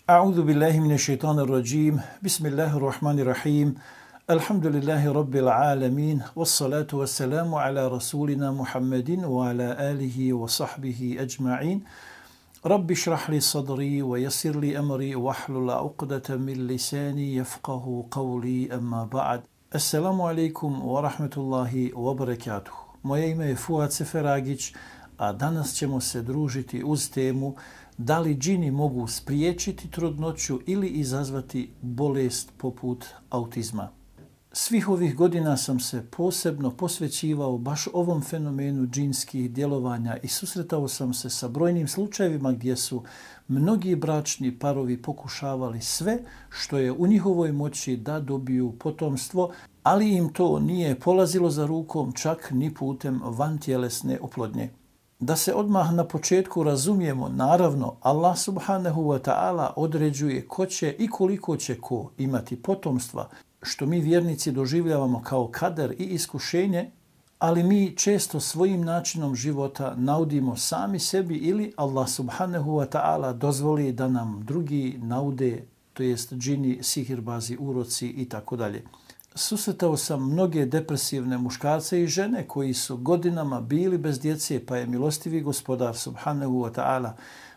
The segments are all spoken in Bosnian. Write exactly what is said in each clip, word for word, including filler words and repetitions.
A'udhu billahi minash shaitanir rajim. Bismillahir rahmanir rahim. Alhamdulillahi rabbil alamin. Wassalatu wassalamu ala rasulina Muhammadin wa ala alihi wa sahbihi ajma'in. Rabbi shrah li sadri wa yassir li amri wahlul 'uqdatan min lisani yafqahu qawli, amma ba'd. Assalamu alaikum wa rahmatullahi wa barakatuh. Moje ime je Fuad Seferagić, a danas ćemo se družiti uz temu da li džini mogu spriječiti trudnoću ili izazvati bolest poput autizma. Svih ovih godina sam se posebno posvećivao baš ovom fenomenu džinskih djelovanja i susretao sam se sa brojnim slučajevima gdje su mnogi bračni parovi pokušavali sve što je u njihovoj moći da dobiju potomstvo, ali im to nije polazilo za rukom čak ni putem vantjelesne oplodnje. Da se odmah na početku razumijemo, naravno, Allah subhanahu wa ta'ala određuje ko će i koliko će ko imati potomstva, što mi vjernici doživljavamo kao kader i iskušenje, ali mi često svojim načinom života naudimo sami sebi ili Allah subhanahu wa ta'ala dozvoli da nam drugi naude, to jest džini, sihirbazi, uroci i tako dalje. Susretao sam mnoge depresivne muškarce i žene koji su godinama bili bez djece, pa je milostivi gospodar subhanahu wa ta'ala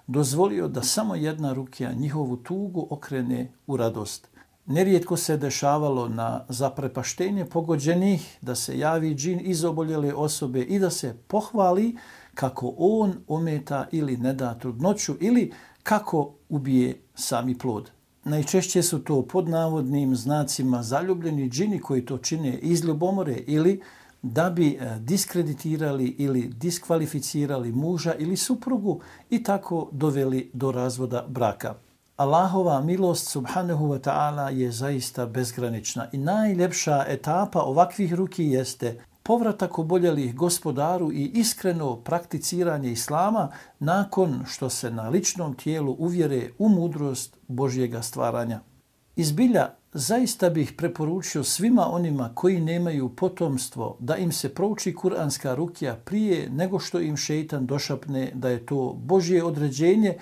dozvolio da samo jedna rukija njihovu tugu okrene u radost. Nerijetko se dešavalo na zaprepaštenje pogođenih da se javi džin iz oboljele osobe i da se pohvali kako on ometa ili ne da trudnoću ili kako ubije sami plod. Najčešće su to pod navodnim znacima zaljubljeni džini koji to čine iz ljubomore ili da bi diskreditirali ili diskvalificirali muža ili suprugu i tako doveli do razvoda braka. Allahova milost subhanahu wa ta'ala je zaista bezgranična i najljepša etapa ovakvih ruki jeste povratak oboljelih gospodaru i iskreno prakticiranje islama nakon što se na ličnom tijelu uvjere u mudrost Božjega stvaranja. Izbilja, zaista bih preporučio svima onima koji nemaju potomstvo da im se prouči kuranska rukija prije nego što im šejtan došapne da je to Božje određenje,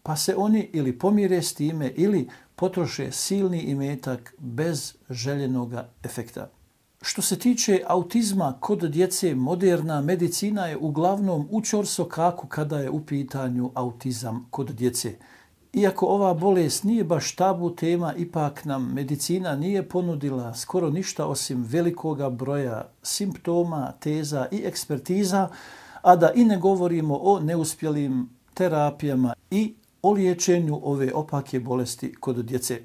pa se oni ili pomire s time ili potroše silni imetak bez željenoga efekta. Što se tiče autizma kod djece, moderna medicina je uglavnom u ćorsokaku kada je u pitanju autizam kod djece. Iako ova bolest nije baš tabu tema, ipak nam medicina nije ponudila skoro ništa osim velikoga broja simptoma, teza i ekspertiza, a da i ne govorimo o neuspjelim terapijama i o liječenju ove opake bolesti kod djece.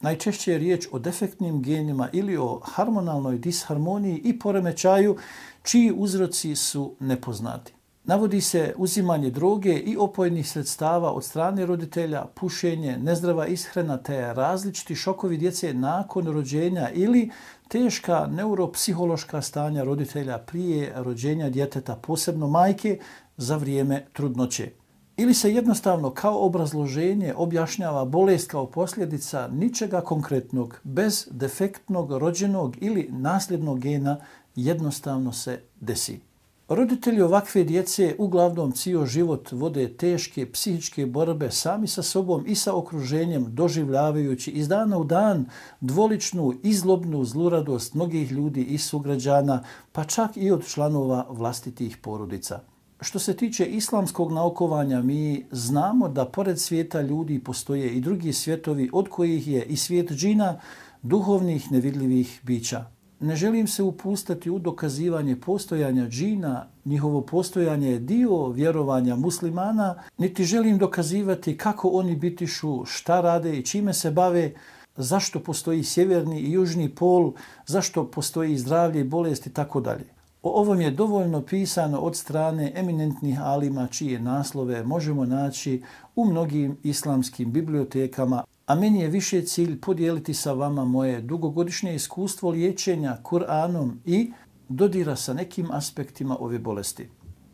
Najčešće je riječ o defektnim genima ili o hormonalnoj disharmoniji i poremećaju čiji uzroci su nepoznati. Navodi se uzimanje droge i opojnih sredstava od strane roditelja, pušenje, nezdrava ishrana te različiti šokovi djece nakon rođenja ili teška neuropsihološka stanja roditelja prije rođenja djeteta, posebno majke, za vrijeme trudnoće. Ili se jednostavno kao obrazloženje objašnjava bolest kao posljedica ničega konkretnog, bez defektnog rođenog ili nasljednog gena, jednostavno se desi. Roditelji ovakve djece uglavnom cijel život vode teške psihičke borbe sami sa sobom i sa okruženjem, doživljavajući iz dana u dan dvoličnu i zlobnu zluradost mnogih ljudi i sugrađana, pa čak i od članova vlastitih porodica. Što se tiče islamskog naukovanja, mi znamo da pored svijeta ljudi postoje i drugi svijetovi od kojih je i svijet džina, duhovnih nevidljivih bića. Ne želim se upustati u dokazivanje postojanja džina, njihovo postojanje je dio vjerovanja muslimana, niti želim dokazivati kako oni bitišu, šta rade i čime se bave, zašto postoji sjeverni i južni pol, zašto postoji zdravlje i bolest i tako dalje. O ovom je dovoljno pisano od strane eminentnih alima čije naslove možemo naći u mnogim islamskim bibliotekama, a meni je više cilj podijeliti sa vama moje dugogodišnje iskustvo liječenja Kur'anom i dodira sa nekim aspektima ove bolesti.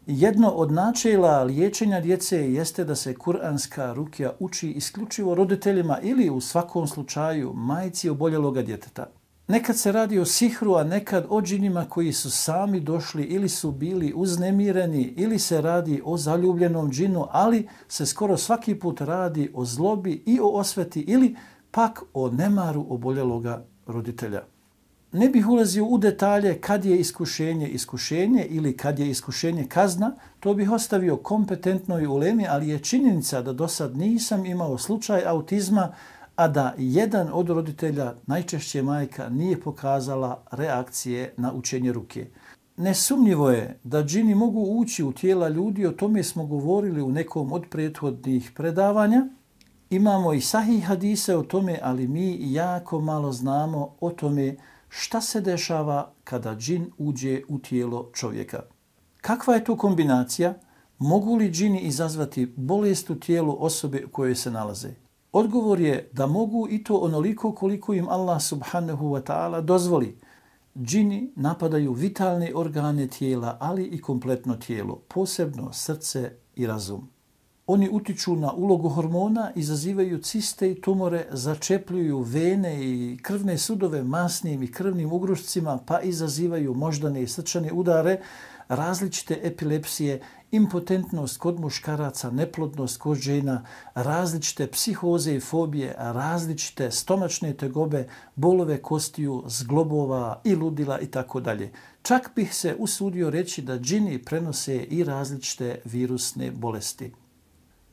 Jedno od načela liječenja djece jeste da se kuranska rukija uči isključivo roditeljima ili u svakom slučaju majci oboljeloga djeteta. Nekad se radi o sihru, a nekad o džinima koji su sami došli ili su bili uznemireni, ili se radi o zaljubljenom džinu, ali se skoro svaki put radi o zlobi i o osveti ili pak o nemaru oboljeloga roditelja. Ne bih ulazio u detalje kad je iskušenje iskušenje ili kad je iskušenje kazna, to bih ostavio kompetentnoj ulemi, ali je činjenica da do sad nisam imao slučaj autizma, a da jedan od roditelja, najčešće majka, nije pokazala reakcije na učenje ruke. Nesumnjivo je da džini mogu ući u tijela ljudi, o tome smo govorili u nekom od prethodnih predavanja. Imamo i sahih hadise o tome, ali mi jako malo znamo o tome šta se dešava kada džin uđe u tijelo čovjeka. Kakva je to kombinacija? Mogu li džini izazvati bolest u tijelu osobe u kojoj se nalaze? Odgovor je da mogu i to onoliko koliko im Allah subhanahu wa ta'ala dozvoli. Džini napadaju vitalne organe tijela, ali i kompletno tijelo, posebno srce i razum. Oni utiču na ulogu hormona, izazivaju ciste i tumore, začepljuju vene i krvne sudove masnim i krvnim ugrušcima, pa izazivaju moždane i srčane udare, različite epilepsije, impotentnost kod muškaraca, neplodnost kod žena, različite psihoze i fobije, različite stomačne tegobe, bolove kostiju, zglobova i ludila i tako dalje. Čak bih se usudio reći da džini prenose i različite virusne bolesti.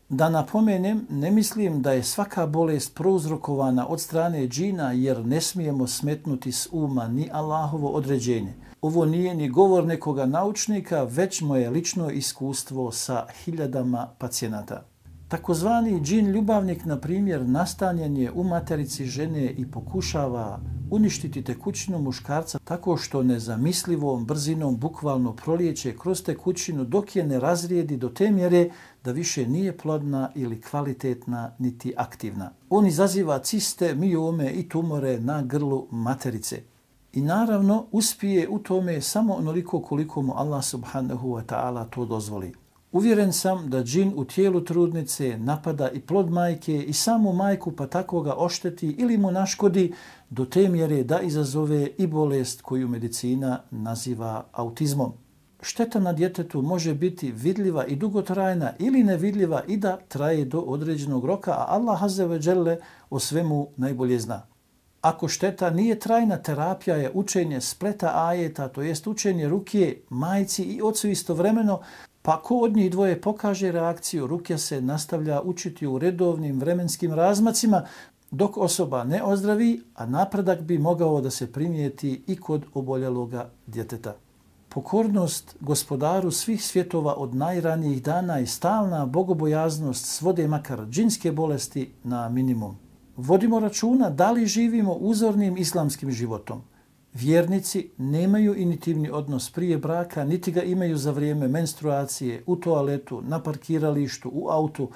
Da napomenem, ne mislim da je svaka bolest prouzrokovana od strane džina, jer ne smijemo smetnuti s uma ni Allahovo određenje. Ovo nije ni govor nekoga naučnika, već moje lično iskustvo sa hiljadama pacijenata. Takozvani džin ljubavnik, na primjer, nastanjen je u materici žene i pokušava uništiti tekućinu muškarca tako što nezamislivom brzinom bukvalno prolijeće kroz tekućinu dok je ne razrijedi do te mjere da više nije plodna ili kvalitetna niti aktivna. On izaziva ciste, miome i tumore na grlu materice. I naravno uspije u tome samo onoliko koliko mu Allah subhanahu wa ta'ala to dozvoli. Uvjeren sam da džin u tijelu trudnice napada i plod majke i samu majku, pa tako ga ošteti ili mu naškodi do te mjere da izazove i bolest koju medicina naziva autizmom. Šteta na djetetu može biti vidljiva i dugotrajna ili nevidljiva i da traje do određenog roka, a Allah azze ve dželle o svemu najbolje zna. Ako šteta nije trajna, terapija je učenje spleta ajeta, to jest učenje ruke majci i ocu istovremeno, pa ko od njih dvoje pokaže reakciju, ruke se nastavlja učiti u redovnim vremenskim razmacima dok osoba ne ozdravi, a napredak bi mogao da se primijeti i kod oboljeloga djeteta. Pokornost gospodaru svih svjetova od najranijih dana i stalna bogobojaznost svode makar džinske bolesti na minimum. Vodimo računa da li živimo uzornim islamskim životom. Vjernici nemaju intimni odnos prije braka, niti ga imaju za vrijeme menstruacije, u toaletu, na parkiralištu, u autu,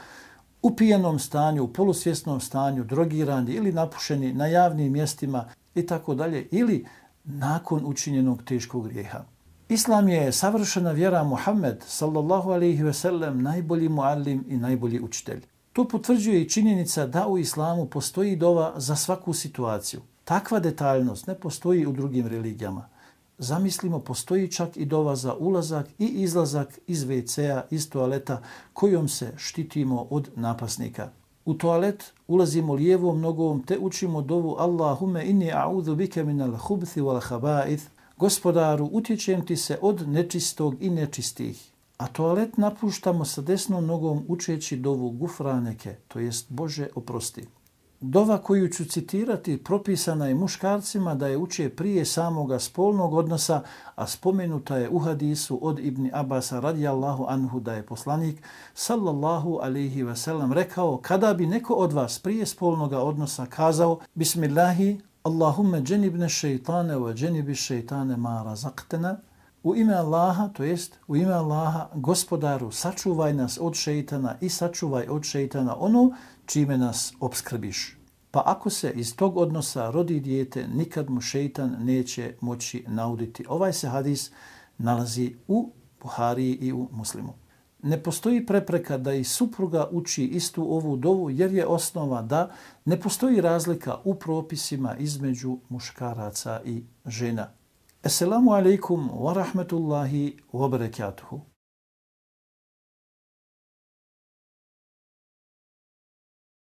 u pijanom stanju, u polusvjesnom stanju, drogirani ili napušeni na javnim mjestima i tako dalje, ili nakon učinjenog teškog grijeha. Islam je savršena vjera. Muhammed sallallahu alejhi ve sellem najbolji muallim i najbolji učitelj. To potvrđuje i činjenica da u islamu postoji dova za svaku situaciju. Takva detaljnost ne postoji u drugim religijama. Zamislimo, postoji čak i dova za ulazak i izlazak iz ve cea, iz toaleta, kojom se štitimo od napasnika. U toalet ulazimo lijevom nogom te učimo dovu Allahume inni a'udhu bike minal hubthi wal khaba'ith. Gospodaru, utječem ti se od nečistog i nečistih. A toalet napuštamo sa desnom nogom učeći dovu gufraneke, to jest Bože oprosti. Dova koju ću citirati propisana je muškarcima da je uče prije samoga spolnog odnosa, a spomenuta je u hadisu od Ibn Abasa radijallahu anhu da je poslanik sallallahu alaihi ve sellem rekao: kada bi neko od vas prije spolnoga odnosa kazao Bismillahi, Allahumme dženibne šeitane wa dženibi šeitane ma razaqtena, u ime Allaha, to jest u ime Allaha, gospodaru, sačuvaj nas od šeitana i sačuvaj od šeitana ono čime nas obskrbiš. Pa ako se iz tog odnosa rodi dijete, nikad mu šeitan neće moći nauditi. Ovaj se hadis nalazi u Buhariji i u Muslimu. ne postoji prepreka da i supruga uči istu ovu dovu jer je osnova da ne postoji razlika u propisima između muškaraca i žena. Assalamu alaikum wa rahmatullahi wa barakatuhu.